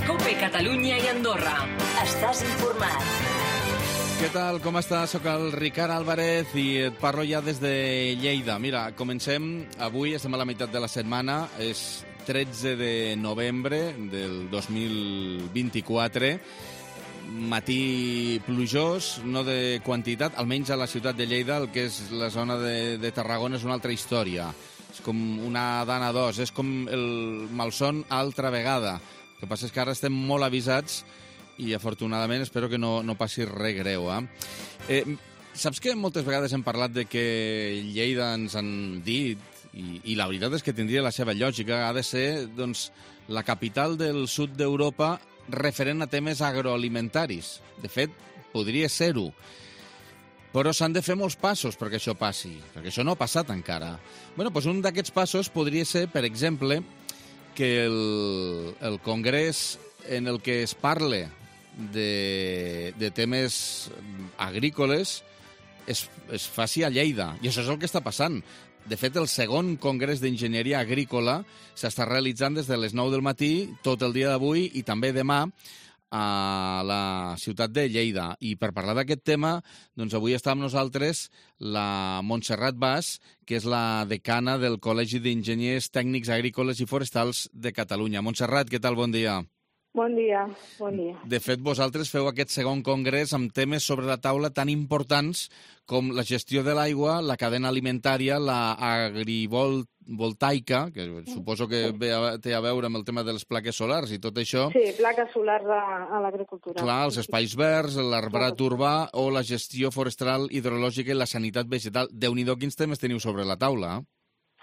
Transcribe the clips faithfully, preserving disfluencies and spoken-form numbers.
COPE Catalunya i Andorra. Estàs informat. Què tal, com estàs? Soc el Ricard Álvarez i et parlo ja des de Lleida. Mira, comencem. Avui estem a la meitat de la setmana. És tretze de novembre del dos mil vint-i-quatre. Matí plujós, no de quantitat, almenys a la ciutat de Lleida, el que és la zona de, de Tarragona és una altra història. És com una dana d'os, és com el malson altra vegada. El que passa és que ara estem molt avisats i afortunadament espero que no, no passi res greu. Eh? Eh, saps que moltes vegades hem parlat de que Lleida ens han dit, i, i la veritat és que tindria la seva lògica, ha de ser doncs, la capital del sud d'Europa referent a temes agroalimentaris. De fet, podria ser-ho. Però s'han de fer molts passos perquè això passi, perquè això no ha passat encara. Bueno, doncs un d'aquests passos podria ser, per exemple, que el, el congrés en el que es parle de, de temes agrícoles es, es faci a Lleida. I això és el que està passant. De fet, el segon congrés d'enginyeria agrícola s'està realitzant des de les nou del matí, tot el dia d'avui i també demà a la ciutat de Lleida. I per parlar d'aquest tema, doncs avui està amb nosaltres la Montserrat Bas, que és la decana del Col·legi d'Enginyers Tècnics Agrícoles i Forestals de Catalunya. Montserrat, què tal? Bon dia. Bon dia, bon dia. De fet, vosaltres feu aquest segon congrés amb temes sobre la taula tan importants com la gestió de l'aigua, la cadena alimentària, la agrivoltaica, que suposo que ve a, té a veure amb el tema de les plaques solars i tot això. Sí, plaques solars a, a l'agricultura. Clar, els espais verds, l'arbrat urbà o la gestió forestal, hidrològica i la sanitat vegetal. Déu-n'hi-do quins temes teniu sobre la taula, eh?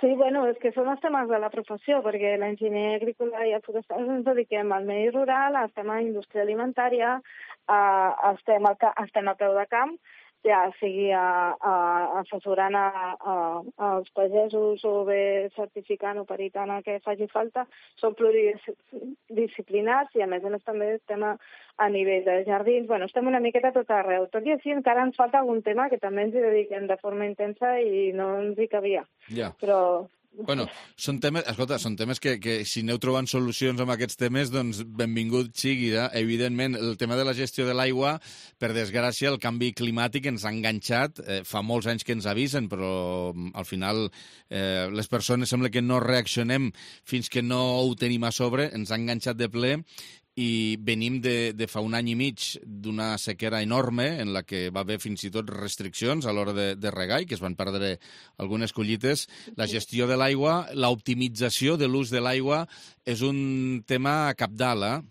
Sí, bueno, és que són els temes de la professió, perquè l'enginyer agrícola i el forestal ens dediquem al medi rural, estem a indústria alimentària, eh, estem, al, estem a peu de camp, ja sigui a, a, assessorant a, a, als pagesos o bé certificant o peritant el que faci falta. Som pluridisciplinars i a més a més també estem a, a nivell de jardins. Bueno, estem una miqueta tot arreu. Tot i així encara ens falta algun tema que també ens hi dediquem de forma intensa i no ens hi cabia. Ja. Però... Bueno, són temes, escolta, són temes que, que si aneu trobant solucions amb aquests temes, doncs benvingut sigui, eh? Evidentment, el tema de la gestió de l'aigua, per desgràcia, el canvi climàtic ens ha enganxat, eh, fa molts anys que ens avisen, però al final eh, les persones sembla que no reaccionem fins que no ho tenim a sobre, ens ha enganxat de ple, i venim de, de fa un any i mig d'una sequera enorme en la que va haver fins i tot restriccions a l'hora de, de regar i que es van perdre algunes collites. La gestió de l'aigua, l'optimització de l'ús de l'aigua és un tema cabdal, eh?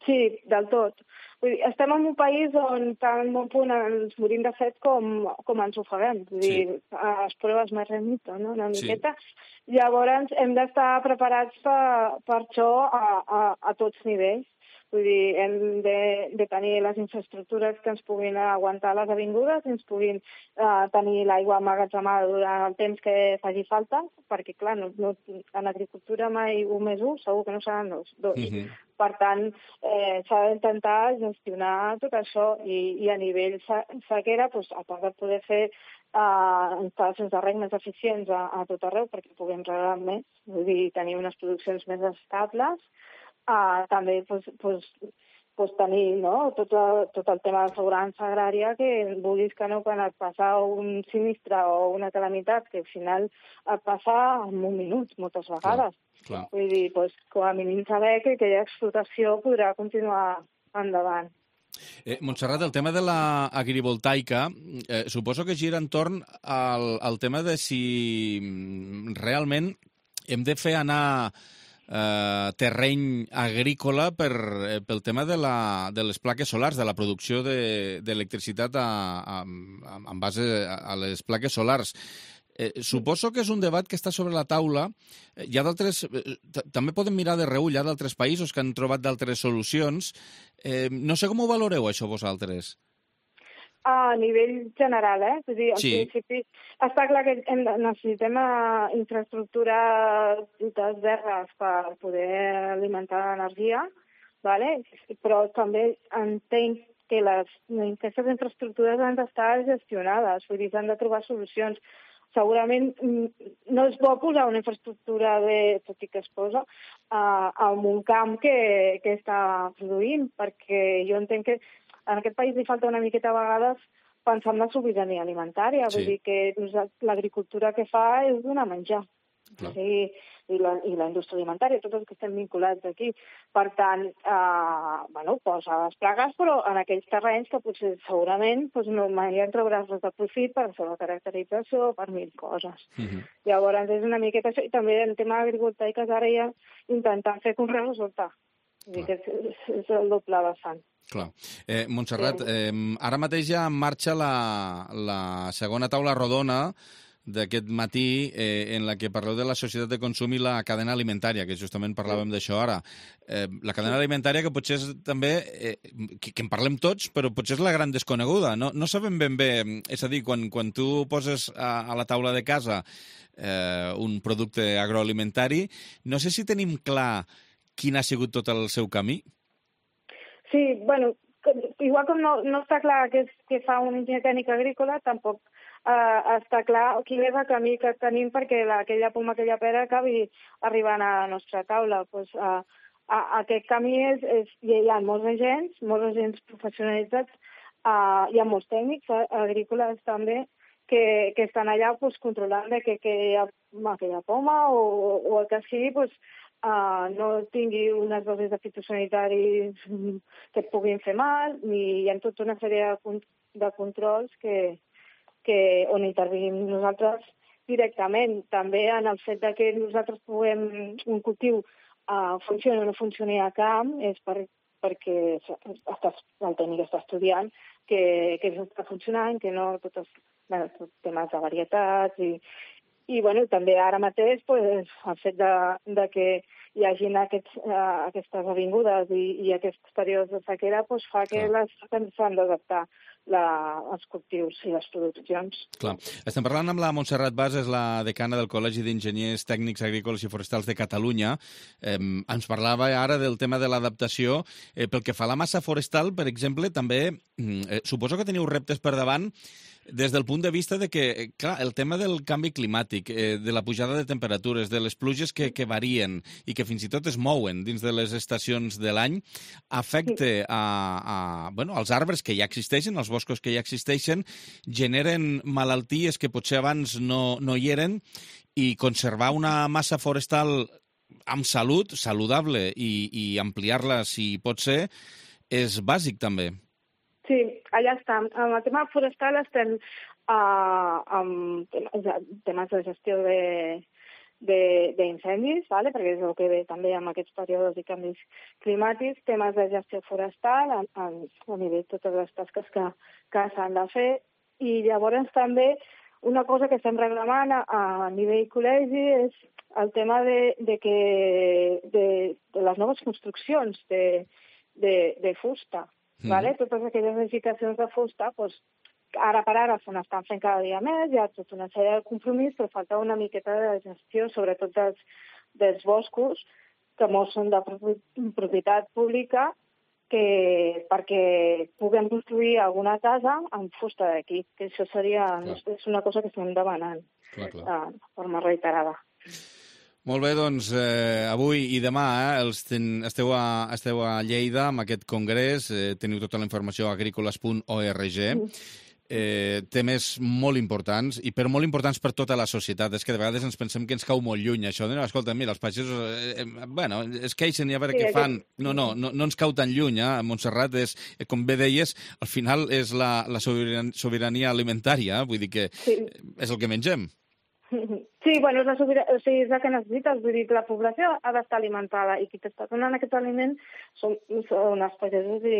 Sí, del tot. Vull dir, estem en un país on tant bon punt ens morim de set com, com ens ofeguem. Vull dir, sí. Les proves més remito, no? Una miqueta. Sí. Llavors hem d'estar preparats per, per això a, a, a tots nivells. Vull dir, hem de, de tenir les infraestructures que ens puguin aguantar les avingudes, ens puguin uh, tenir l'aigua emmagatzemada durant el temps que faci falta, perquè, clar, no, no, en agricultura mai un més un, segur que no seran dos. dos. Uh-huh. Per tant, eh, s'ha d'intentar gestionar tot això i, i a nivell sequera, doncs, a part de poder fer uh, instal·lacions de reg més eficients a, a tot arreu perquè puguem regar més, vull dir, tenir unes produccions més estables, Uh, també pues, pues, pues tenir no? tot, el, tot el tema de seguretat agrària, que vulguis que no, quan et passa un sinistre o una calamitat, que al final et passa en un minut, moltes vegades. Clar, clar. Vull dir, pues, com a mínim saber que aquella explotació podrà continuar endavant. Eh, Montserrat, el tema de l'agrivoltaica eh, suposo que gira entorn al, al tema de si realment hem de fer anar Eh, terreny agrícola per, eh, pel tema de, la, de les plaques solars, de la producció d'electricitat de, en base a, a les plaques solars. Eh, suposo que és un debat que està sobre la taula. Eh, hi ha d'altres... Eh, també podem mirar de reull, hi ha d'altres països que han trobat d'altres solucions. Eh, no sé com ho valoreu, això, vosaltres? A nivell general, eh? És a dir, al sí. principi està clar que necessitem infraestructures verdes per poder alimentar l'energia, ¿vale? Però també entenc que les, aquestes infraestructures han d'estar gestionades, vull dir, s'han de trobar solucions. segurament no és bo posar una infraestructura de, tot i que es posa, uh, en un camp que, que està produint, perquè jo entenc que en aquest país li falta una miqueta a vegades pensar en la sobirania alimentària, Sí. vull dir que l'agricultura que fa és donar menjar. Sí, i la, i la indústria alimentària, tots els que estem vinculats aquí. Per tant, eh, bueno, posa les plagues, però en aquells terrenys que potser segurament doncs, no mai en trauràs res de profit per la seva caracterització, per mil coses. Uh-huh. Llavors és una miqueta això, i també en tema agrivoltaiques ara ja intentant fer com resultat. Vull dir que és, és, és el doble vessant. Clar. Eh, Montserrat, eh, ara mateix ja en marxa la, la segona taula rodona d'aquest matí eh, en la que parleu de la societat de consum i la cadena alimentària, que justament parlàvem d'això ara. Eh, la cadena alimentària que potser és també, eh, que, que en parlem tots, però potser és la gran desconeguda. No, no sabem ben bé, és a dir, quan, quan tu poses a, a la taula de casa eh, un producte agroalimentari, no sé si tenim clar quin ha sigut tot el seu camí. Sí, bueno, igual com no, no està clar què, és, què fa un enginyer tècnic agrícola, tampoc Uh, està clar quin és el camí que tenim perquè la, aquella poma, aquella pera acabi arribant a la nostra taula. Pues, uh, uh, aquest camí és, és... Hi ha molts agents, molts agents professionalitzats, uh, hi ha molts tècnics uh, agrícoles també que, que estan allà pues, controlant de que, que hi ha aquella poma o, o el que sigui pues, uh, no tingui unes dosis de fitosanitaris que et puguin fer mal, ni hi ha tota una sèrie de, de controls que que on intervenim nosaltres directament. També en el fet de que nosaltres puguem un cultiu uh, funcioni o no funcioni a camp és per, perquè estàs, el tècnic està estudiant que, que està funcionant, que no tots els, bueno, tots temes de varietats i, i bueno, també ara mateix pues, el fet de, de que hi hagin aquests, uh, aquestes avingudes i, i aquests períodes de sequera pues, fa que Clar. les s'han d'adaptar la, els cultius i les produccions. Clar. Estem parlant amb la Montserrat Bas, és la decana del Col·legi d'Enginyers Tècnics Agrícoles i Forestals de Catalunya. Eh, ens parlava ara del tema de l'adaptació. Eh, pel que fa a la massa forestal, per exemple, també eh, suposo que teniu reptes per davant des del punt de vista de que, clar, el tema del canvi climàtic, eh, de la pujada de temperatures, de les pluges que, que varien i que fins i tot es mouen dins de les estacions de l'any, afecta a, a, bueno, als arbres que ja existeixen, als boscos que ja existeixen, generen malalties que potser abans no, no hi eren, i conservar una massa forestal amb salut, saludable, i, i ampliar-la si pot ser, és bàsic també. Sí, allà està. En el tema forestal estem uh, amb temes de gestió d'incendis, ¿vale? Perquè és el que ve també amb aquests períodes i canvis climàtics, temes de gestió forestal, a, a, a nivell de totes les tasques que, que s'han de fer, i llavors també una cosa que estem reclamant a, a nivell col·legi és el tema de, de, que, de, de les noves construccions de, de, de fusta. Mm. Vale? Totes aquelles edificacions de fusta, doncs, ara per ara se n'estan fent cada dia més, hi ha tota una sèrie de compromís, però falta una miqueta de gestió, sobretot dels, dels boscos, que molts són de propietat pública, que perquè puguem construir alguna casa amb fusta d'aquí, que això seria és una cosa que estem demanant clar, clar. de forma reiterada. Molt bé, doncs eh, avui i demà eh, els ten, esteu, a, esteu a Lleida amb aquest congrés, eh, teniu tota la informació a agrícoles punt org, eh, temes molt importants i per molt importants per tota la societat. És que de vegades ens pensem que ens cau molt lluny això de no, escolta, mira, els pagesos eh, eh, bueno, es queixen i a veure sí, què fan. No, no, no, no ens cau tan lluny, eh? Montserrat és, com bé deies, al final és la, la sobirania alimentària, vull dir que sí. és el que mengem. Sí, bueno, és la, sobira... o sigui, és la que necessites, vull dir que la població ha d'estar alimentada i qui t'està donant aquest aliment són, són els pagesos i,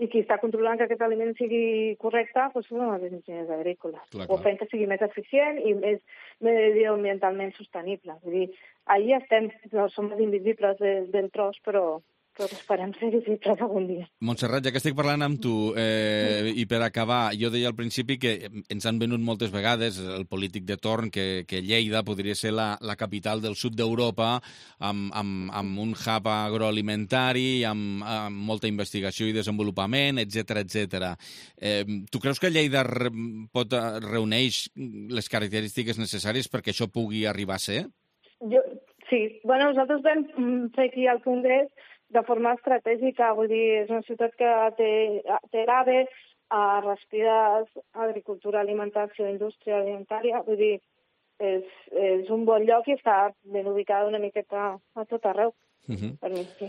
i qui està controlant que aquest aliment sigui correcte doncs són els enginyers agrícoles. Clar, clar. O fent que sigui més eficient i més mediambientalment sostenible. Vull dir, ahir estem, no som els invisibles de, del tros, però, però esperem ser visibles algun dia. Montserrat, ja que estic parlant amb tu, eh, i per acabar, jo deia al principi que ens han venut moltes vegades el polític de torn que, que Lleida podria ser la, la capital del sud d'Europa amb, amb, amb un hub agroalimentari, amb, amb molta investigació i desenvolupament, etcètera, etcètera. Eh, tu creus que Lleida re, pot reuneix les característiques necessàries perquè això pugui arribar a ser? Jo, sí. Bueno, nosaltres vam fer aquí al Congrés de forma estratègica, vull dir, és una ciutat que té, té l'AVE, a respires, agricultura, alimentació, indústria alimentària, vull dir, és, és un bon lloc i està ben ubicada una miqueta a tot arreu. Uh-huh. Per mi, sí.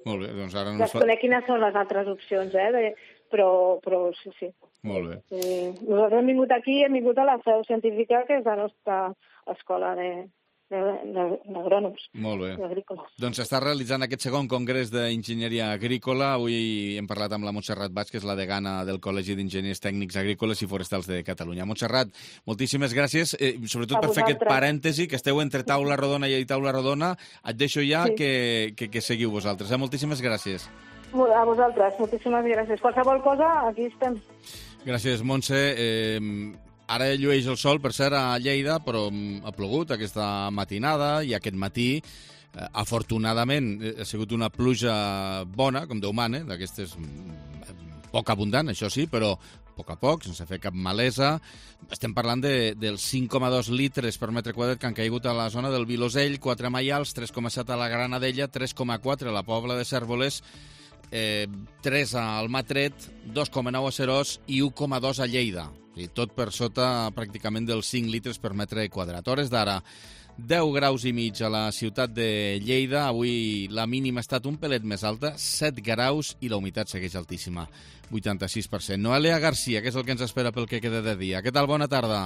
Molt bé, doncs ara... Desconec quines són les altres opcions, eh? De, però, però sí, sí. Molt bé. Eh, nosaltres hem vingut aquí, hem vingut a la seu científica, que és la nostra escola de... d'agrònoms. Molt bé. Agrícoles. Doncs s'està realitzant aquest segon congrés d'enginyeria agrícola. Avui hem parlat amb la Montserrat Bach, que és la degana del Col·legi d'Enginyers Tècnics Agrícoles i Forestals de Catalunya. Montserrat, moltíssimes gràcies, eh, sobretot per fer aquest parèntesi, que esteu entre taula rodona i taula rodona. Et deixo ja sí. que, que, que seguiu vosaltres. Eh? Moltíssimes gràcies. A vosaltres, moltíssimes gràcies. Qualsevol cosa, aquí estem. Gràcies, Montse. Eh, Ara llueix el sol, per cert, a Lleida, però ha plogut aquesta matinada i aquest matí, eh, afortunadament, ha sigut una pluja bona, com Déu mana, d'aquestes poc abundant, això sí, però a poc a poc, sense fer cap malesa. Estem parlant de, dels cinc coma dos litres per metre quadrat que han caigut a la zona del Vilosell, quatre a Maials, tres coma set a la Granadella, tres coma quatre a la Pobla de Cérvoles, eh, tres a Almatret, dos coma nou a Serós i u coma dos a Lleida. I tot per sota pràcticament dels cinc litres per metre quadrat. Hores d'ara, deu graus i mig a la ciutat de Lleida. Avui la mínima ha estat un pelet més alta, set graus, i la humitat segueix altíssima, vuitanta-sis per cent. Noelia Garcia, que és el que ens espera pel que queda de dia. Què tal? Bona tarda.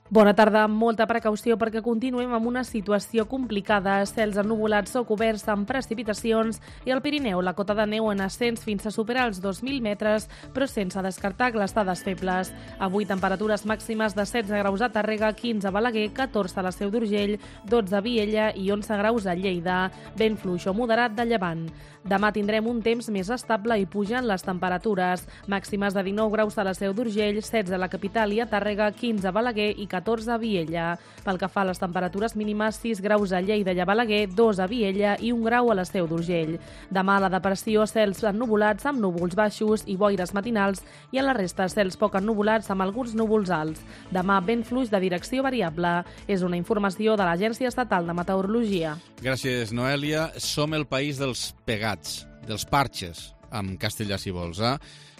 Bona tarda, amb molta precaució perquè continuem amb una situació complicada. Cels ennuvolats o coberts amb precipitacions i al Pirineu la cota de neu en ascens fins a superar els dos mil metres, però sense descartar glastades febles. Avui temperatures màximes de setze graus a Tàrrega, quinze a Balaguer, catorze a la Seu d'Urgell, dotze a Viella i onze graus a Lleida. Vent fluix o moderat de llevant. Demà tindrem un temps més estable i pugen les temperatures. Màximes de dinou graus a la Seu d'Urgell, setze a la capital i a Tàrrega, quinze a Balaguer i catorze a Viella. Pel que fa a les temperatures mínimes, sis graus a Lleida i a Balaguer, dos a Viella i un grau a la Seu d'Urgell. Demà la depressió, cels ennuvolats amb núvols baixos i boires matinals, i a la resta cels poc ennuvolats amb alguns núvols alts. Demà vent fluix de direcció variable. És una informació de l'Agència Estatal de Meteorologia. Gràcies, Noelia. Som el país dels pegats, dels parxes, en castellà si vols, eh?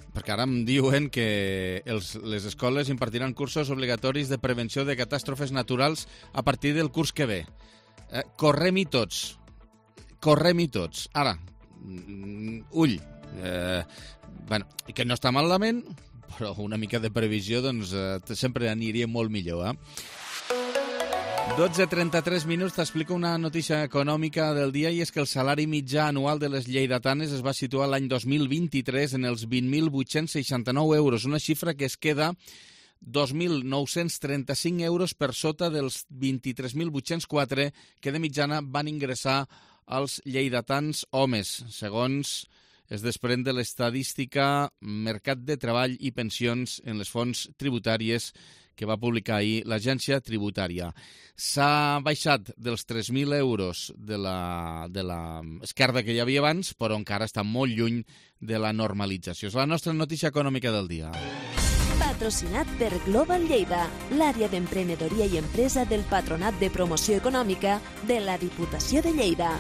Perquè ara em diuen que els, les escoles impartiran cursos obligatoris de prevenció de catàstrofes naturals a partir del curs que ve. Eh, correm-hi tots. Correm-hi tots. Ara, ull. Eh, bueno, que no està malament, però una mica de previsió doncs, eh, sempre aniria molt millor, eh? dotze trenta-tres minuts, t'explico una notícia econòmica del dia, i és que el salari mitjà anual de les lleidatanes es va situar l'any dos mil vint-i-tres en els vint mil vuit-cents seixanta-nou euros, una xifra que es queda dos mil nou-cents trenta-cinc euros per sota dels vint-i-tres mil vuit-cents quatre que de mitjana van ingressar els lleidatans homes, segons es desprèn de l'estadística Mercat de Treball i Pensions en les fonts tributàries que va publicar ahir l'agència tributària. S'ha baixat dels tres mil euros de la, de la esquerda que hi havia abans, però encara està molt lluny de la normalització. És la nostra notícia econòmica del dia. Patrocinat per Global Lleida, l'àrea d'emprenedoria i empresa del Patronat de Promoció Econòmica de la Diputació de Lleida.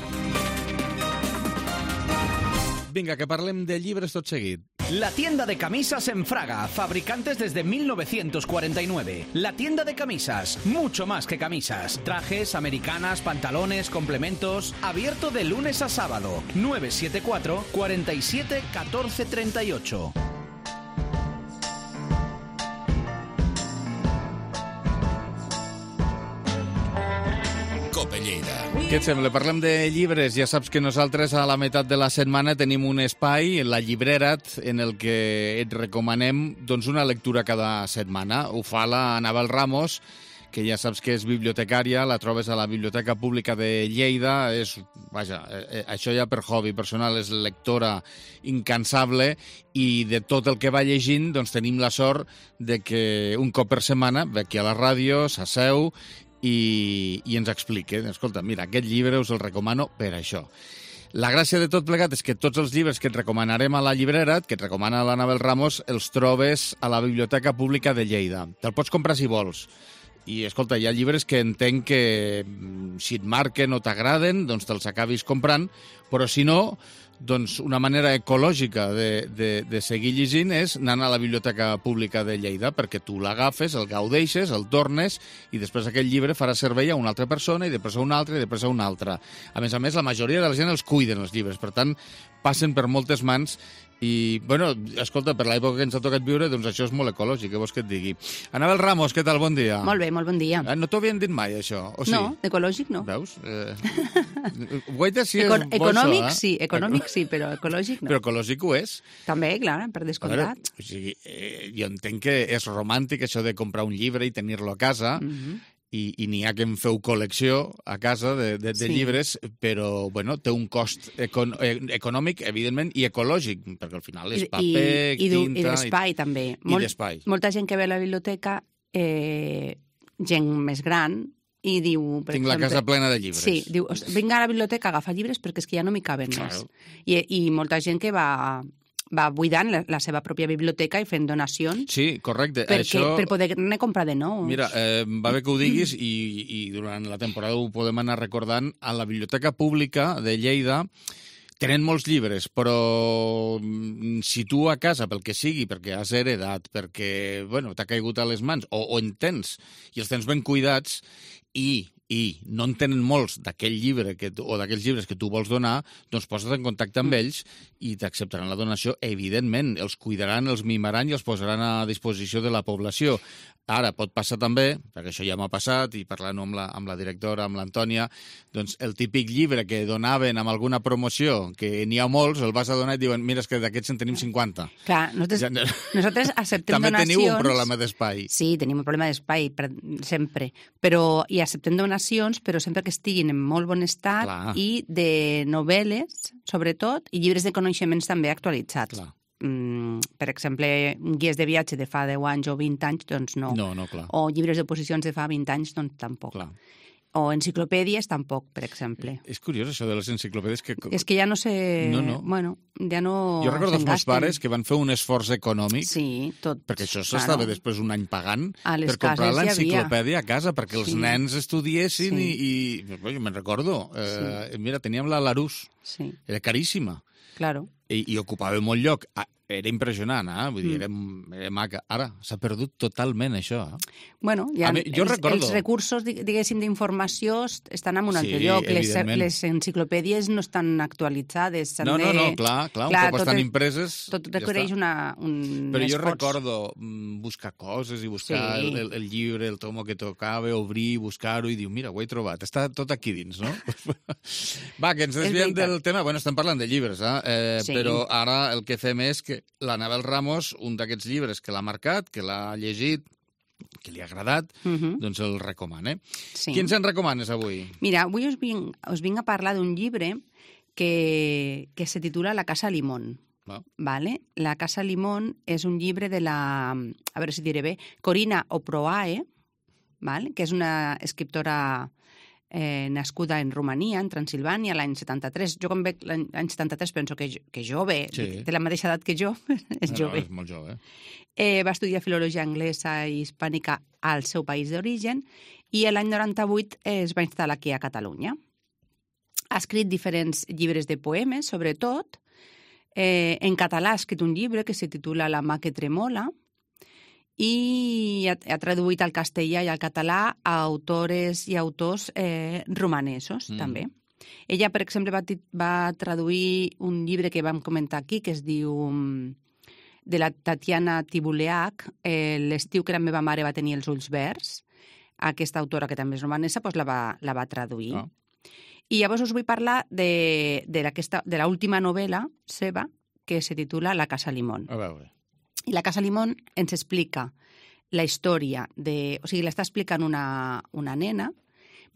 Vinga, que parlem de llibres tot seguit. La tienda de camisas en Fraga, fabricantes desde mil novecientos cuarenta y nueve. La tienda de camisas, mucho más que camisas. Trajes, americanas, pantalones, complementos. Abierto de lunes a sábado. nueve siete cuatro, cuatro siete, uno cuatro tres ocho. Què et sembla? Parlem de llibres. Ja saps que nosaltres a la meitat de la setmana tenim un espai, la Llibrera't, en el que et recomanem doncs, una lectura cada setmana. Ho fa la Anabel Ramos, que ja saps que és bibliotecària, la trobes a la Biblioteca Pública de Lleida, és, vaja, eh, això ja per hobby personal, és lectora incansable, i de tot el que va llegint doncs tenim la sort de que un cop per setmana ve aquí a la ràdio, s'asseu i, i ens explica. Escolta, mira, aquest llibre us el recomano per això. La gràcia de tot plegat és que tots els llibres que et recomanarem a la llibrera, que et recomana l'Anabel Ramos, els trobes a la Biblioteca Pública de Lleida. Te'l pots comprar si vols. I, escolta, hi ha llibres que entenc que si et marquen o t'agraden, doncs te'ls acabis comprant, però si no, doncs una manera ecològica de, de, de seguir llegint és anant a la Biblioteca Pública de Lleida, perquè tu l'agafes, el gaudeixes, el tornes, i després aquell llibre farà servei a una altra persona, i després a una altra, i després a una altra. A més a més, la majoria de la gent els cuiden, els llibres, per tant, passen per moltes mans. I, bueno, escolta, per l'època que ens ha tocat viure, doncs això és molt ecològic, què vols que et digui? Anabel Ramos, què tal? Bon dia. Molt bé, molt bon dia. Eh, no t'ho havien dit mai, això? O sí? No, ecològic no. Veus? Eh... Guaita si és Econ bo econòmic això, eh? sí, econòmic sí, però ecològic no. Però ecològic ho és. També, clar, per descomptat. Veure, o sigui, eh, jo entenc que és romàntic això de comprar un llibre i tenir-lo a casa, mm-hmm. i, i n'hi ha que en feu col·lecció a casa de, de, de sí. llibres, però bueno, té un cost econ econòmic, evidentment, i ecològic, perquè al final és paper, I, i, tinta... I d'espai, també. I Molt, d'espai. Molta gent que ve a la biblioteca, eh, gent més gran, i diu... Per Tinc exemple, la casa plena de llibres. Sí, diu, vinc a la biblioteca a agafar llibres perquè és que ja no m'hi caben claro. més. I, I molta gent que va... va buidant la, la seva pròpia biblioteca i fent donacions. Sí, correcte. Perquè, Això... Per poder-ne comprar de nous. Mira, eh, va bé que ho diguis i, i durant la temporada ho podem anar recordant. A la Biblioteca Pública de Lleida tenen molts llibres, però si tu a casa, pel que sigui, perquè has heredat, perquè bueno, t'ha caigut a les mans, o, o en tens, i els tens ben cuidats, i... i no en tenen molts d'aquell llibre que tu, o d'aquells llibres que tu vols donar, doncs posa't en contacte amb ells i t'acceptaran la donació, evidentment. Els cuidaran, els mimaran i els posaran a disposició de la població. Ara, pot passar també, perquè això ja m'ha passat, i parlant amb la, amb la directora, amb l'Antònia, doncs el típic llibre que donaven amb alguna promoció, que n'hi ha molts, el vas a donar i diuen, mira, és que d'aquests en tenim cinquanta. Clar, nosaltres, ja... nosaltres acceptem també donacions... També teniu un problema d'espai. Sí, tenim un problema d'espai, sempre. Però, i acceptem donacions, però sempre que estiguin en molt bon estat. Clar. I de novel·les, sobretot, i llibres de coneixements també actualitzats. Clar. Mm, per exemple, guies de viatge de fa deu anys o vint anys, doncs no. No, no, clar. O llibres d'oposicions de fa vint anys, doncs tampoc. Clar. O enciclopèdies tampoc, per exemple. És curiós això de les enciclopèdies que... És que ja no sé... No, no. Bueno, ja no... Jo recordo els meus pares que van fer un esforç econòmic. Sí, tot. Perquè això s'estava claro. després un any pagant per comprar ja l'enciclopèdia a casa, perquè els sí. nens estudiessin sí. i... i jo me'n recordo. Eh, sí. Mira, teníem la Larousse. Sí. Era caríssima. Claro. I, i ocupava molt lloc. Era impressionant, eh? Vull dir, era, era maca. Ara, s'ha perdut totalment, això. Eh? Bueno, ja mi, jo els, recordo... els recursos, diguéssim, d'informació estan en un altre sí, lloc. Les, les enciclopèdies no estan actualitzades. No, no, no, clar, clar, clar un cop estan impreses... Tot requereix ja una, un Però jo esforç. recordo buscar coses i buscar sí. el, el llibre, el tomo que tocava, obrir, buscar-ho i dir, mira, ho he trobat, està tot aquí dins, no? Va, que ens desviem del tema. Bueno, estem parlant de llibres, eh? eh sí. Però ara el que fem és que l'Anabel Ramos, un d'aquests llibres que l'ha marcat, que l'ha llegit, que li ha agradat, uh-huh. doncs el recomana. Sí. Quins en recomanes avui? Mira, avui us vinc, us vinc a parlar d'un llibre que, que se titula La Casa Limón. Oh. Vale? La Casa Limón és un llibre de la, a veure si diré bé, Corina Oproae, vale? Que és una escriptora eh, nascuda en Romania, en Transilvània, l'any setanta-tres. Jo quan veig l'any setanta-tres penso que, que jove, sí. té la mateixa edat que jo, és no, jove. No, és molt jove. Eh, va estudiar filologia anglesa i hispànica al seu país d'origen i l'any noranta-vuit es va instal·lar aquí a Catalunya. Ha escrit diferents llibres de poemes, sobretot. Eh, en català ha escrit un llibre que se titula La mà que tremola, i ha, ha traduït al castellà i al català a autores i autors eh, romanesos, mm. també. Ella, per exemple, va, va traduir un llibre que vam comentar aquí, que es diu de la Tatiana Tibuleac, eh, L'estiu que la meva mare va tenir els ulls verds. Aquesta autora, que també és romanesa, doncs la va, la va traduir. Oh. I llavors us vull parlar de, de, de l'última novel·la seva, que se titula La Casa Limón. A veure. I La Casa Limón ens explica la història de... O sigui, l'està explicant una, una nena,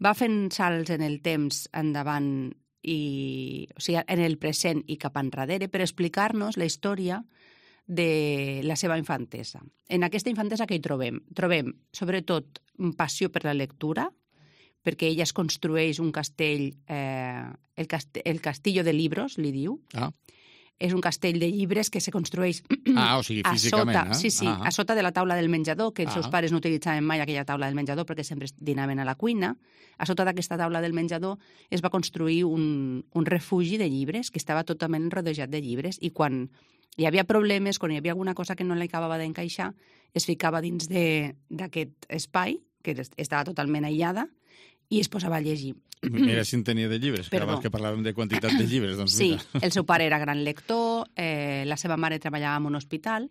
va fent salts en el temps endavant i, o sigui, en el present i cap enrere per explicar-nos la història de la seva infantesa. En aquesta infantesa que hi trobem? Trobem, sobretot, passió per la lectura, perquè ella es construeix un castell, eh, el, cast el castillo de libros, li diu. Ah. És un castell de llibres que se construeix ah, o sigui, físicament, a sota, eh? sí, sí, ah. a sota de la taula del menjador, que els ah. seus pares no utilitzaven mai aquella taula del menjador perquè sempre dinaven a la cuina. A sota d'aquesta taula del menjador es va construir un, un refugi de llibres que estava totalment rodejat de llibres i quan hi havia problemes, quan hi havia alguna cosa que no li acabava d'encaixar, es ficava dins d'aquest espai, que estava totalment aïllada, i es posava a llegir. Mira si en tenia de llibres, que abans que parlàvem de quantitat de llibres. Doncs sí, mira. El seu pare era gran lector, eh, la seva mare treballava en un hospital,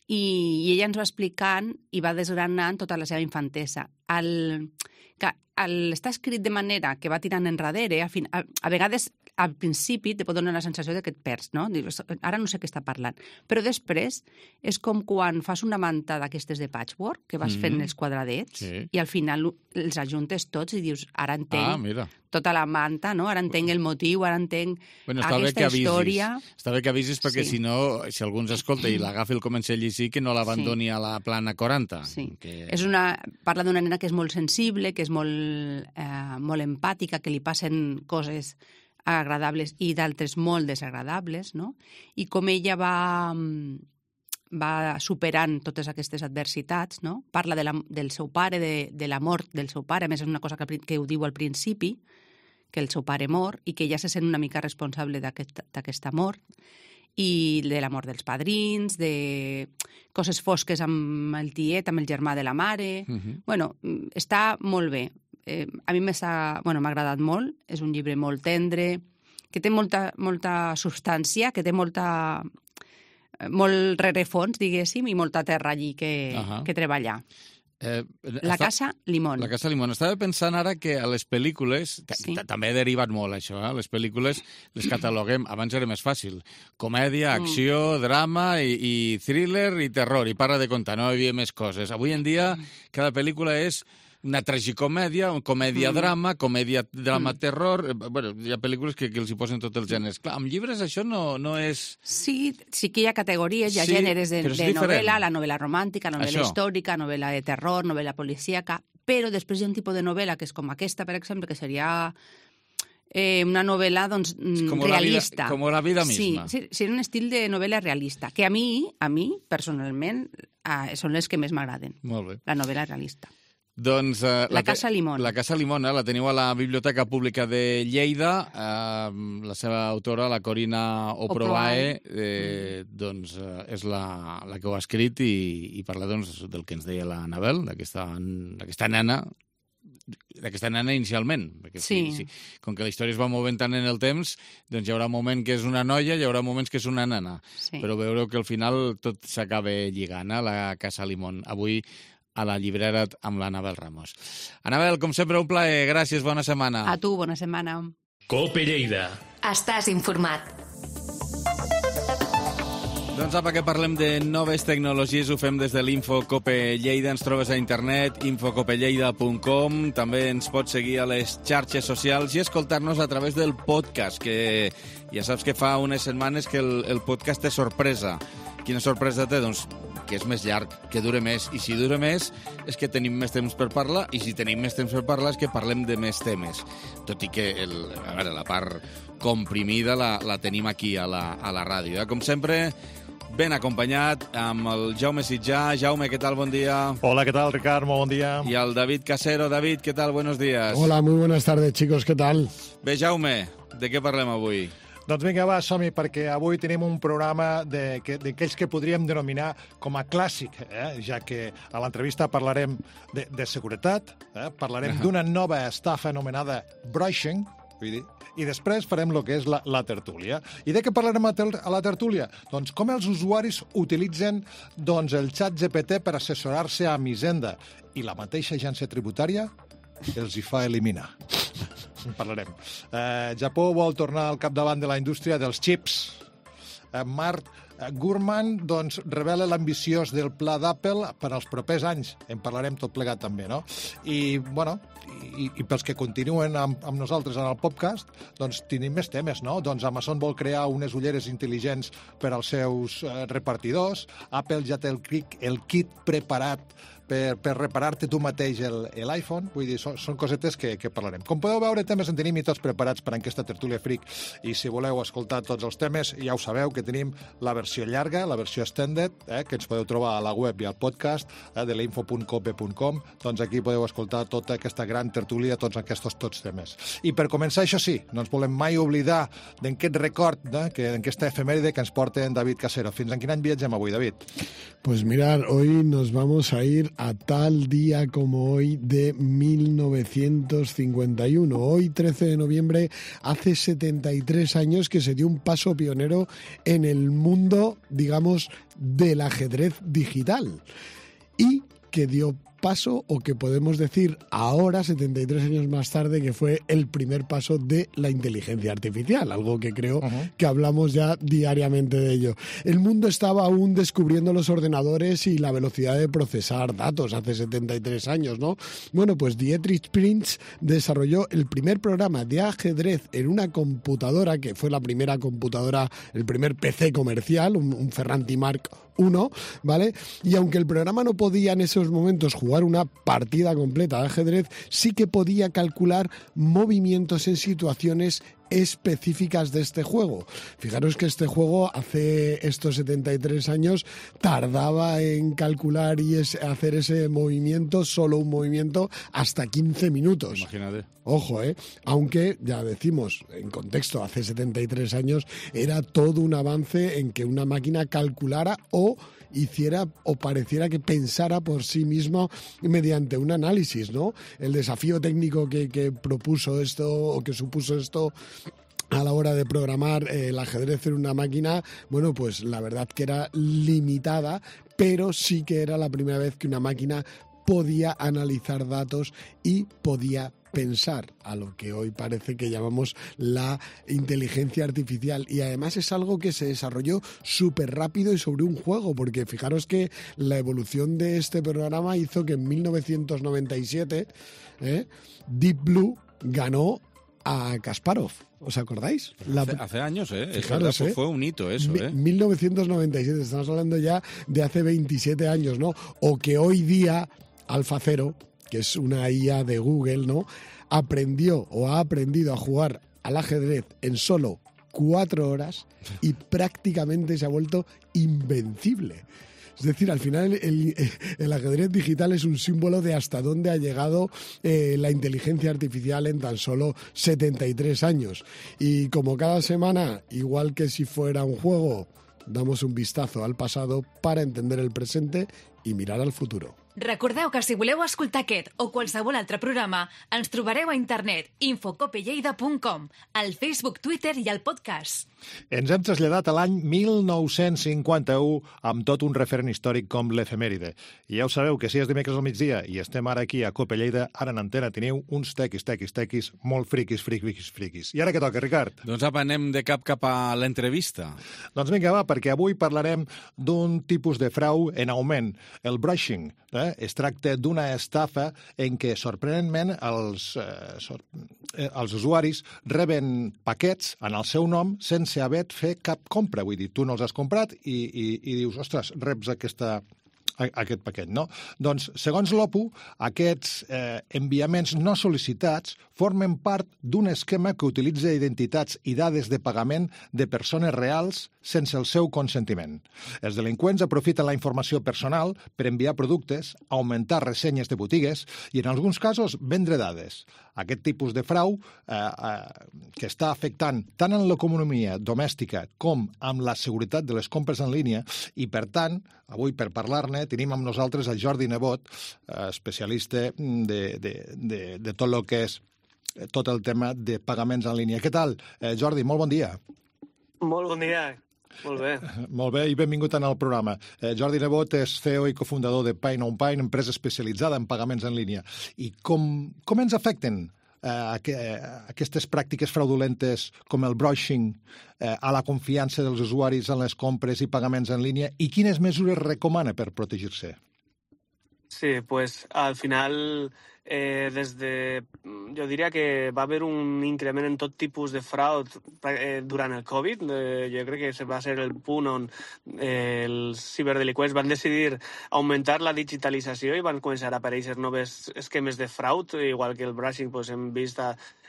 i, i ella ens va explicant i va desgranant tota la seva infantesa. El, que, el, està escrit de manera que va tirant enrere, a, fin, a, a vegades al principi te pot donar la sensació de que et perds, no? Dius, ara no sé què està parlant. Però després és com quan fas una manta d'aquestes de patchwork, que vas mm. fent els quadradets, sí. i al final els ajuntes tots i dius, ara entenc ah, mira. tota la manta, no? Ara entenc el motiu, ara entenc bueno, aquesta història. Està bé que avisis perquè sí. si no, si algú ens escolta i l'agafa i el comença a llegir, que no l'abandoni sí. a la plana quaranta. Sí. Que... És una... Parla d'una nena que és molt sensible, que és molt, eh, molt empàtica, que li passen coses agradables i d'altres molt desagradables, no? I com ella va, va superant totes aquestes adversitats, no? Parla de la, del seu pare, de, de la mort del seu pare, a més és una cosa que, que ho diu al principi, que el seu pare mor i que ella se sent una mica responsable d'aquesta aquest mort, i de la mort dels padrins, de coses fosques amb el tiet, amb el germà de la mare... Uh-huh. Bueno, està molt bé. Eh, a mi m'ha bueno, agradat molt, és un llibre molt tendre, que té molta, molta substància, que té molta, molt rerefons, diguéssim, i molta terra allí que, uh-huh. que treballar. Eh, la està... Casa Limón. La Casa Limón. Estava pensant ara que a les pel·lícules, sí. també ha derivat molt això, eh? Les pel·lícules les cataloguem, abans era més fàcil, comèdia, acció, mm. drama i, i thriller i terror, i para de contar, no hi havia més coses. Avui en dia cada pel·lícula és una tragicomèdia, una comèdia-drama, mm. comèdia-drama-terror... Bueno, hi ha pel·lícules que, que els hi posen tots els gèneres. Clar, amb llibres això no, no és... Sí, sí que hi ha categories, hi ha sí, gèneres de, de novel·la, la novel·la romàntica, novel·la això. històrica, novel·la de terror, novel·la policíaca, però després hi ha un tipus de novel·la que és com aquesta, per exemple, que seria... Eh, una novel·la doncs, com realista. La vida, com la vida misma. Sí, sí, seria un estil de novel·la realista, que a mi, a mi personalment, eh, són les que més m'agraden. Molt bé. La novel·la realista. Doncs, uh, la, la Casa Limón. La Casa Limón, eh, la teniu a la Biblioteca Pública de Lleida. Uh, la seva autora, la Corina Oproae, eh, doncs, uh, és la, la que ho ha escrit i, i parla doncs, del que ens deia l'Anabel, d'aquesta nena, d'aquesta nena inicialment. Perquè, sí. Sí, sí. Com que la història es va movent tant en el temps, doncs hi haurà un moment que és una noia, hi haurà moments que és una nena. Sí. Però veureu que al final tot s'acaba lligant, eh, la Casa Limón. Avui a la llibrera amb l'Anabel Ramos. Anabel, com sempre, un plaer. Gràcies, bona setmana. A tu, bona setmana. Cope Lleida. Estàs informat. Doncs apa, que parlem de noves tecnologies, ho fem des de l'Info Cope Lleida. Ens trobes a internet, info cope lleida punt com. També ens pots seguir a les xarxes socials i escoltar-nos a través del podcast, que ja saps que fa unes setmanes que el, el podcast té sorpresa. Quina sorpresa té? Doncs que és més llarg, que dure més. I si dura més és que tenim més temps per parlar, i si tenim més temps per parlar és que parlem de més temes. Tot i que el, a veure, la part comprimida la, la tenim aquí a la, a la ràdio. Eh? Com sempre, ben acompanyat amb el Jaume Sitjà. Jaume, què tal? Bon dia. Hola, ¿qué tal, Ricard? Muy buen día. Y al David Casero. David, ¿qué tal? Buenos días. Hola, muy buenas tardes, chicos. ¿Qué tal? Bé, Jaume, de què parlem avui? Doncs vinga, va, som-hi, perquè avui tenim un programa d'aquells que podríem denominar com a clàssic, eh? Ja que a l'entrevista parlarem de, de seguretat, eh? parlarem d'una nova estafa anomenada brushing, vull dir, i després farem el que és la, la tertúlia. I de què parlarem a, tel, a la tertúlia? Doncs com els usuaris utilitzen doncs, el xat G P T per assessorar-se a Hisenda, i la mateixa agència tributària els hi fa eliminar. En parlarem. Eh, Japó vol tornar al capdavant de la indústria dels xips. Eh, Mart Gurman doncs, revela l'ambiciós del pla d'Apple per als propers anys. En parlarem tot plegat també, no? I, bueno, i, i pels que continuen amb, amb nosaltres en el podcast, doncs tenim més temes, no? Doncs Amazon vol crear unes ulleres intel·ligents per als seus eh, repartidors, Apple ja té el, el kit preparat per, per reparar-te tu mateix l'iPhone. Vull dir, són, són cosetes que, que parlarem. Com podeu veure, temes en tenim i tots preparats per a aquesta tertúlia fric. I si voleu escoltar tots els temes, ja ho sabeu que tenim la versió llarga, la versió extended, eh, que ens podeu trobar a la web i al podcast eh, de l'info punt cope punt com. Doncs aquí podeu escoltar tota aquesta gran tertúlia, tots aquests tots temes. I per començar, això sí, no ens volem mai oblidar d'aquest record, eh, que, d'aquesta efemèride que ens porta en David Casero. Fins en quin any viatgem avui, David? Pues mirar, hoy nos vamos a ir a tal día como hoy de mil novecientos cincuenta y uno. Hoy, trece de noviembre, hace setenta y tres años que se dio un paso pionero en el mundo, digamos, del ajedrez digital. Y que dio paso, o que podemos decir ahora, setenta y tres años más tarde, que fue el primer paso de la inteligencia artificial, algo que creo uh-huh. que hablamos ya diariamente de ello. El mundo estaba aún descubriendo los ordenadores y la velocidad de procesar datos hace setenta y tres años, ¿no? Bueno, pues Dietrich Prinz desarrolló el primer programa de ajedrez en una computadora, que fue la primera computadora, el primer P C comercial, un, un Ferranti Mark uno, ¿vale? Y aunque el programa no podía en esos momentos jugar una partida completa de ajedrez, sí que podía calcular movimientos en situaciones específicas de este juego. Fijaros que este juego hace estos setenta y tres años tardaba en calcular y es, hacer ese movimiento, solo un movimiento, hasta quince minutos. Imagínate. Ojo, ¿eh? Aunque, ya decimos, en contexto, hace setenta y tres años era todo un avance en que una máquina calculara o hiciera o pareciera que pensara por sí mismo mediante un análisis, ¿no? El desafío técnico que, que propuso esto o que supuso esto a la hora de programar eh, el ajedrez en una máquina, bueno, pues la verdad que era limitada, pero sí que era la primera vez que una máquina podía analizar datos y podía pensar, a lo que hoy parece que llamamos la inteligencia artificial. Y además es algo que se desarrolló súper rápido y sobre un juego, porque fijaros que la evolución de este programa hizo que en mil novecientos noventa y siete eh, Deep Blue ganó a Kasparov. ¿Os acordáis? La... Hace, hace años, ¿eh? Fijaros, es verdad, ¿eh? Fue un hito eso, ¿eh? mil novecientos noventa y siete, estamos hablando ya de hace veintisiete años, ¿no? O que hoy día AlphaZero, que es una I A de Google, ¿no?, aprendió o ha aprendido a jugar al ajedrez en solo cuatro horas y prácticamente se ha vuelto invencible. Es decir, al final el, el ajedrez digital es un símbolo de hasta dónde ha llegado eh, la inteligencia artificial en tan solo setenta y tres años. Y como cada semana, igual que si fuera un juego, damos un vistazo al pasado para entender el presente i mirar al futur. Recordeu que si voleu escoltar aquest o qualsevol altre programa, ens trobareu a internet info cope lleida punt com, al Facebook, Twitter i al podcast. Ens hem traslladat a l'any mil nou-cents cinquanta-u amb tot un referent històric com l'efemèride. I ja ho sabeu que si és dimecres al migdia i estem ara aquí a Cope Lleida, ara en antena teniu uns tequis, tequis, tequis, molt friquis, friquis, friquis. I ara què toca, Ricard? Doncs apa, anem de cap cap a l'entrevista. Doncs vinga, va, perquè avui parlarem d'un tipus de frau en augment, el brushing. Eh? Es tracta d'una estafa en què, sorprenentment, els, eh, sor... eh, els usuaris reben paquets en el seu nom sense haver fet cap compra. Vull dir, tu no els has comprat i, i, i dius, ostres, reps aquesta... aquest paquet, no? Doncs, segons l'O P U, aquests eh, enviaments no sol·licitats formen part d'un esquema que utilitza identitats i dades de pagament de persones reals sense el seu consentiment. Els delinqüents aprofiten la informació personal per enviar productes, augmentar ressenyes de botigues i, en alguns casos, vendre dades. Aquest tipus de frau eh, eh, que està afectant tant en l'economia domèstica com amb la seguretat de les compres en línia i, per tant, avui per parlar-ne tenim amb nosaltres el Jordi Nebot, eh, especialista de, de, de, de tot el que és tot el tema de pagaments en línia. Què tal, eh, Jordi? Molt bon dia. Molt bon dia. Molt bé. Molt bé i benvingut en el programa. Eh, Jordi Nebot és C E O i cofundador de Pine on Pine, empresa especialitzada en pagaments en línia. I com, com ens afecten eh, aquestes pràctiques fraudulentes com el brushing eh, a la confiança dels usuaris en les compres i pagaments en línia i quines mesures recomana per protegir-se? Sí, pues al final, eh, des de, jo diria que va haver un increment en tot tipus de frau eh, durant el Covid. Eh, jo crec que va ser el punt on eh, els ciberdelinqüents van decidir augmentar la digitalització i van començar a aparèixer noves esquemes de frau, igual que el brushing, pues, hem vist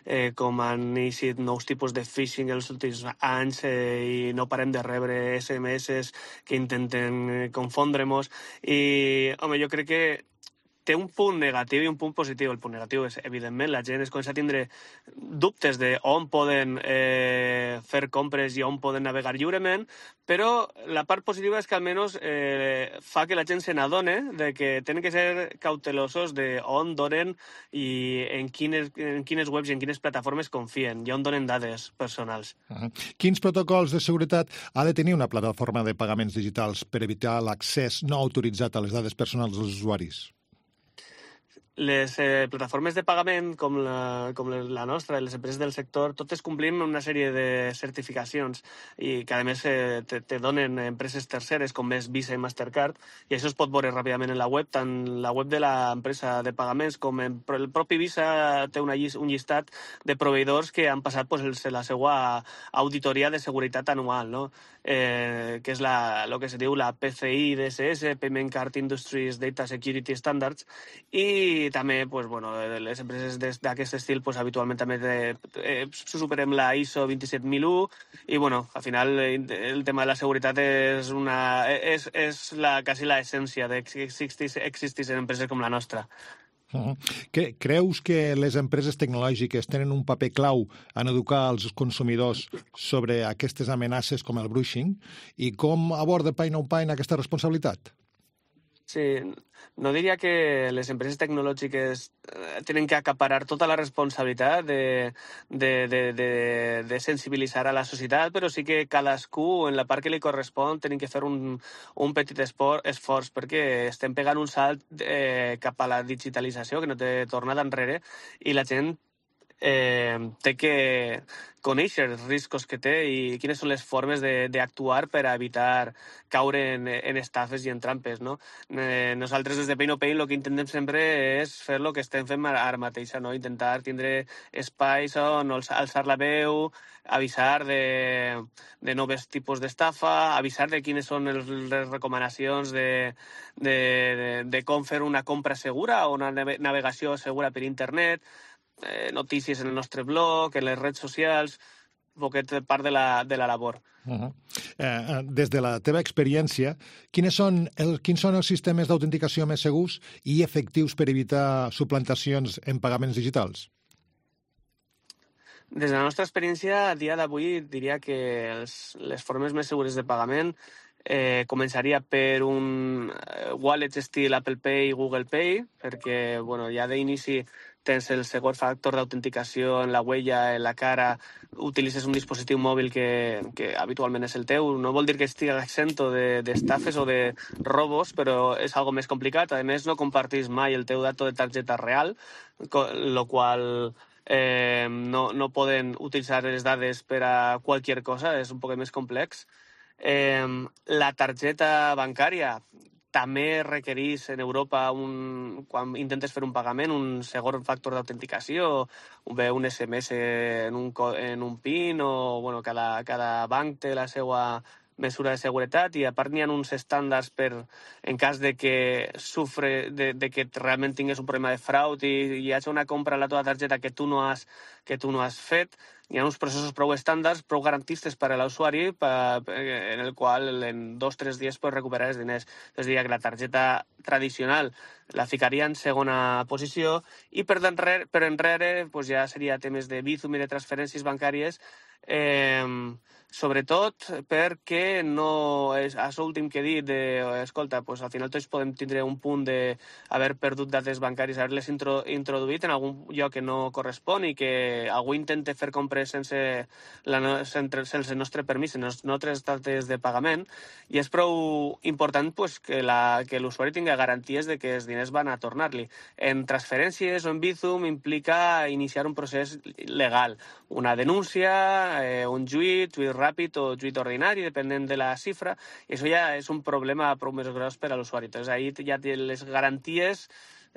eh, com han iniciat nous tipus de phishing els últims anys eh, i no parem de rebre S M S que intenten eh, confondre-nos. I, home, jo crec que té un punt negatiu i un punt positiu. El punt negatiu és, evidentment, la gent es comença a tindre dubtes de on poden eh, fer compres i on poden navegar lliurement, però la part positiva és que almenys eh, fa que la gent se n'adone de que tenen que ser cautelosos de on donen i en quines, en quines webs i en quines plataformes confien i on donen dades personals. Uh-huh. Quins protocols de seguretat ha de tenir una plataforma de pagaments digitals per evitar l'accés no autoritzat a les dades personals dels usuaris? Les eh, plataformes de pagament, com la, com la nostra, les empreses del sector, totes complim una sèrie de certificacions i que, a més, eh, te, te donen empreses terceres, com és Visa i Mastercard, i això es pot veure ràpidament en la web, tant la web de l'empresa de pagaments com en, el propi Visa té una, un llistat de proveïdors que han passat pues, el, la seva auditoria de seguretat anual, no? eh, que és la, el que se diu la P C I D S S, Payment Card Industries Data Security Standards, i també pues, bueno, les empreses d'aquest estil pues, habitualment també eh, superem la I S O vint set mil u i bueno, al final el tema de la seguretat és, una, és, és la, quasi l'essència de que existissin empreses com la nostra. Uh-huh. Creus que les empreses tecnològiques tenen un paper clau en educar els consumidors sobre aquestes amenaces com el brushing i com aborda Pay No Pay aquesta responsabilitat? Sí, no diria que les empreses tecnològiques tenen que acaparar tota la responsabilitat de, de, de, de, de sensibilitzar a la societat, però sí que cadascú, en la part que li correspon, tenen que fer un, un petit esport, esforç, perquè estem pegant un salt eh, cap a la digitalització, que no té tornada enrere, i la gent eh, té que conèixer els riscos que té i quines són les formes d'actuar per a evitar caure en, en estafes i en trampes, no? Eh, nosaltres des de Pay No Pay el que intentem sempre és fer el que estem fent ara mateix, no? Intentar tindre espais on alçar la veu, avisar de, de nous tipus d'estafa, avisar de quines són els, les recomanacions de, de, de, de com fer una compra segura o una navegació segura per internet, Eh, notícies en el nostre blog, en les redes socials, un poquet part de la, de la labor. Uh-huh. eh, des de la teva experiència, quins són, el, quins són els sistemes d'autenticació més segurs i efectius per evitar suplantacions en pagaments digitals? Des de la nostra experiència, a dia d'avui, diria que els, les formes més segures de pagament eh, començaria per un wallet estil Apple Pay i Google Pay, perquè bueno, ja d'inici tens el segon factor d'autenticació en la huella, en la cara, utilitzes un dispositiu mòbil que, que habitualment és el teu. No vol dir que estigui exento d'estafes de, o de robos, però és algo més complicat. A més, no compartís mai el teu dato de targeta real, lo qual eh, no, no poden utilitzar les dades per a qualsevol cosa, és un poc més complex. Eh, la targeta bancària també requereix en Europa, un, quan intentes fer un pagament, un segon factor d'autenticació, bé un S M S en un, en un PIN, o bueno, cada, cada banc té la seva mesura de seguretat i a part n'hi ha uns estàndards per, en cas de que sufre, de, de que realment tingués un problema de frau i hi hagi una compra a la teva targeta que tu no has, que tu no has fet, hi ha uns processos prou estàndards, prou garantistes per a l'usuari, en el qual en dos o tres dies pots recuperar els diners. Entonces diria que la targeta tradicional la ficaria en segona posició i per enrere, per enrere pues ja seria temes de Bizum i de transferències bancàries, eh, sobretot perquè no és això últim que he dit de, escolta, pues, al final tots podem tindre un punt d'haver perdut dades bancàries, haver-les intro, introduït en algun lloc que no correspon i que algú intente fer compres sense, la, sense, sense el nostre permís, sense les nostres dates de pagament, i és prou important pues, que la, que l'usuari tingui garanties de que els diners van a tornar-li. En transferències o en Bizum implica iniciar un procés legal, una denúncia, eh, un juit, juit ràpid o juit ordinari, depenent de la xifra, i això ja és un problema prou més gros per a l'usuari. Entonces, ahí ja les garanties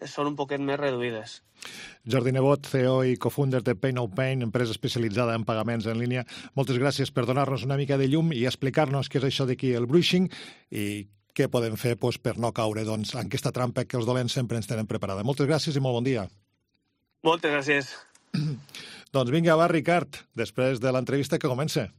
són un poquet més reduïdes. Jordi Nebot, C E O i cofounder de Pay No Pain, empresa especialitzada en pagaments en línia. Moltes gràcies per donar-nos una mica de llum i explicar-nos què és això d'aquí el bruishing i què podem fer doncs, per no caure doncs, en aquesta trampa que els dolents sempre ens tenen preparada. Moltes gràcies i molt bon dia. Moltes gràcies. Doncs vinga, va, Ricard, després de l'entrevista que comença.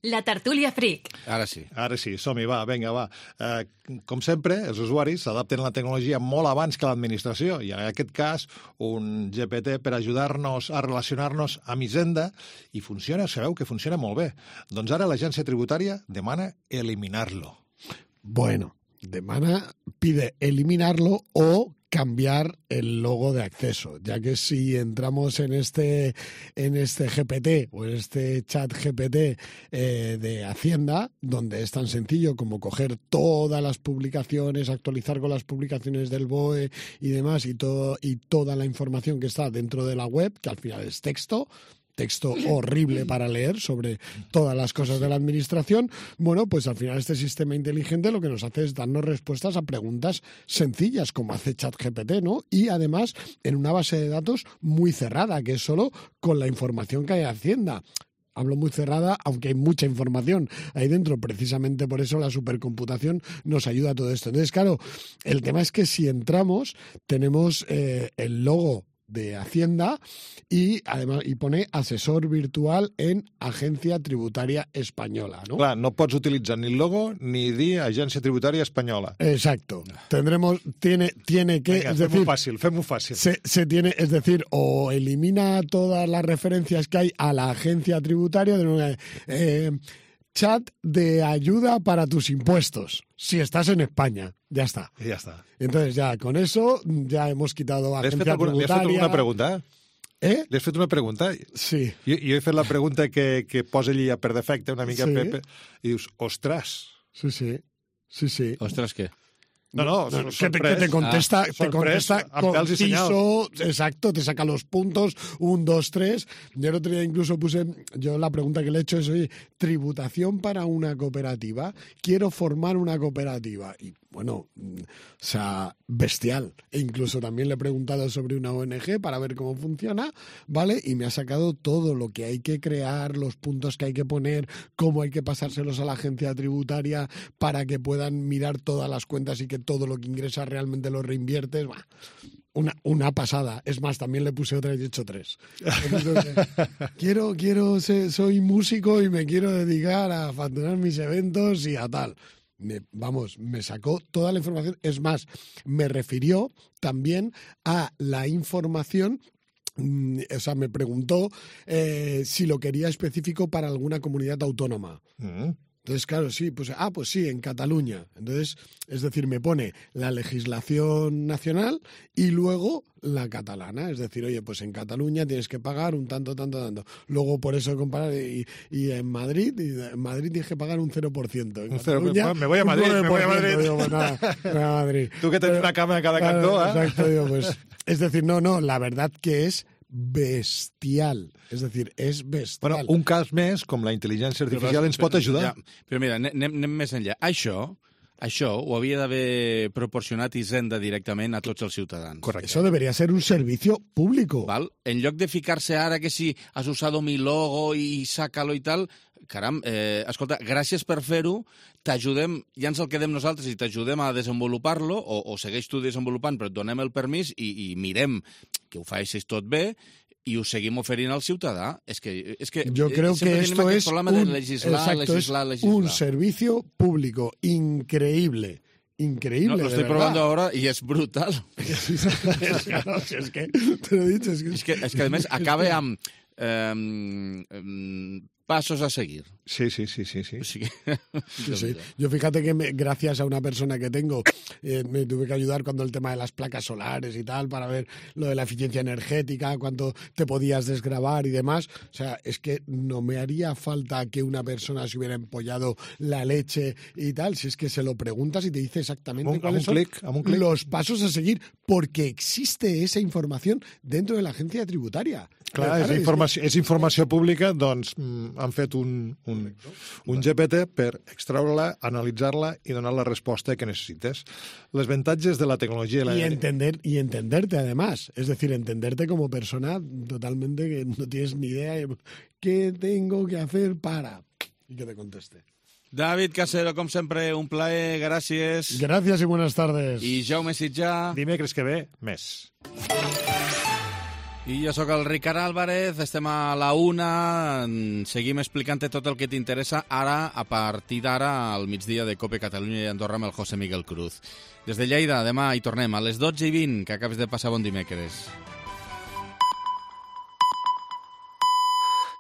La tertúlia Freak. Ara sí. Ara sí, som-hi, va, vinga, va. Eh, com sempre, els usuaris s'adapten a la tecnologia molt abans que l'administració i en aquest cas un G P T per ajudar-nos a relacionar-nos amb Hisenda i funciona, sabeu que funciona molt bé. Doncs ara l'agència tributària demana eliminar-lo. Bueno, demana, pide eliminarlo o cambiar el logo de acceso, ya que si entramos en este, en este G P T o en este chat G P T eh, de Hacienda, donde es tan sencillo como coger todas las publicaciones, actualizar con las publicaciones del B O E y demás, y, todo, y toda la información que está dentro de la web, que al final es texto, texto horrible para leer sobre todas las cosas de la administración, bueno, pues al final este sistema inteligente lo que nos hace es darnos respuestas a preguntas sencillas, como hace ChatGPT, ¿no? Y además en una base de datos muy cerrada, que es solo con la información que hay en Hacienda. Hablo muy cerrada, aunque hay mucha información ahí dentro. Precisamente por eso la supercomputación nos ayuda a todo esto. Entonces, claro, el tema es que si entramos, tenemos eh, el logo de Hacienda y además y pone asesor virtual en Agencia Tributaria Española, ¿no? Clar, no pots utilitzar ni el logo ni dir Agència Tributària Espanyola. Exacto. Tendremos, tiene, tiene que, Venga, es fem-ho decir, fàcil, fem-ho fàcil. Se, se tiene, es decir, o elimina todas las referencias que hay a la agencia tributaria de una, eh, chat de ayuda para tus impuestos, si estás en España. Ya está. I ja està. Entonces ya con eso ya hemos quitado Li has agencia fet, alguna, li has fet tributaria. alguna pregunta? Eh? Li has fet una pregunta? Sí. Jo, jo he fet la pregunta que, que posa ella per defecte, una mica Sí. Pepe, i dius, ostres. Sí, sí. Sí, sí. Ostres, què? No, no, No, que, te, sorprès. que te contesta, Ah, te sorprès, contesta amb pèls i senyals. conciso, exacto, te saca los puntos, un, dos, tres. Yo el otro día incluso puse, yo la pregunta que le he hecho es, oye, tributación para una cooperativa, quiero formar una cooperativa. Y bueno, o sea, bestial. E incluso también le he preguntado sobre una O N G para ver cómo funciona, ¿vale? Y me ha sacado todo lo que hay que crear, los puntos que hay que poner, cómo hay que pasárselos a la agencia tributaria para que puedan mirar todas las cuentas y que todo lo que ingresas realmente lo reinviertes. Bah, una, una pasada. Es más, también le puse otra y he hecho tres. Entonces, quiero, quiero, ser, soy músico y me quiero dedicar a facturar mis eventos y a tal. Me, vamos, me sacó toda la información. Es más, me refirió también a la información. O sea, me preguntó eh, si lo quería específico para alguna comunidad autónoma. Mm. Entonces, claro, sí, pues, ah, pues sí, en Cataluña. Entonces, es decir, me pone la legislación nacional y luego la catalana. Es decir, oye, pues en Cataluña tienes que pagar un tanto, tanto, tanto. Luego, por eso comparar, y, y en Madrid, y en Madrid tienes que pagar un cero por ciento. En Un cero por Cataluña, ciento. Me voy a Madrid, un me voy a nueve por ciento. Madrid. Digo, pues nada, me voy a Madrid. Tú que tienes Pero, una cama en cada claro, cantó, ¿eh? Exacto, digo, pues. Es decir, no, no, la verdad que es bestial. És a dir, és bestial. Bueno, un cas més, com la intel·ligència artificial, ens pot ajudar. Ja, però mira, anem, anem més enllà. Això, això ho havia d'haver proporcionat Hisenda directament a tots els ciutadans. Correcte. Eso debería ser un servicio público. Val? En lloc de ficar-se ara que si has usado mi logo i sácalo i tal, caram, eh, escolta, gràcies per fer-ho, t'ajudem, ja ens el quedem nosaltres i t'ajudem a desenvolupar-lo, o, o segueix tu desenvolupant, però et donem el permís i, i mirem que ho facis tot bé i ho seguim oferint al ciutadà. És que, és que Yo creo que esto es un, de legislar, exacto, legislar, es legislar. un servicio público increíble. Increíble, No, lo estoy de probando verdad. ahora y es brutal. Claro, si es que te lo he dicho. Es que, És que, és que a més, acaba amb... Eh, eh, pasos a seguir. Sí, sí, sí, sí. sí. Sí. Sí, sí. Yo fíjate que me, gracias a una persona que tengo, eh, me tuve que ayudar cuando el tema de las placas solares y tal, para ver lo de la eficiencia energética, cuánto te podías desgravar y demás. O sea, es que no me haría falta que una persona se hubiera empollado la leche y tal, si es que se lo preguntas y te dice exactamente un, cuáles un son clic, un clic. los pasos a seguir, porque existe esa información dentro de la agencia tributaria. Clar, és, informació, és informació pública, doncs mm, han fet un, un, un G P T per extraure-la, analitzar-la i donar la resposta que necessites. Les avantatges de la tecnologia... Y, la... entender, y entenderte, además. Es decir, entenderte como persona totalmente que no tienes ni idea de qué tengo que hacer para... Y que te conteste. David Casero, com sempre, un plaer, gràcies. Gracias y buenas tardes. I Jaume Sitjà. Dimecres que ve, més. I jo sóc el Ricard Álvarez, estem a la una, seguim explicant tot el que t'interessa ara, a partir d'ara, al migdia de COPE Catalunya i Andorra amb el José Miguel Cruz. Des de Lleida, demà hi tornem a les dotze i vint, que acabes de passar bon dimecres.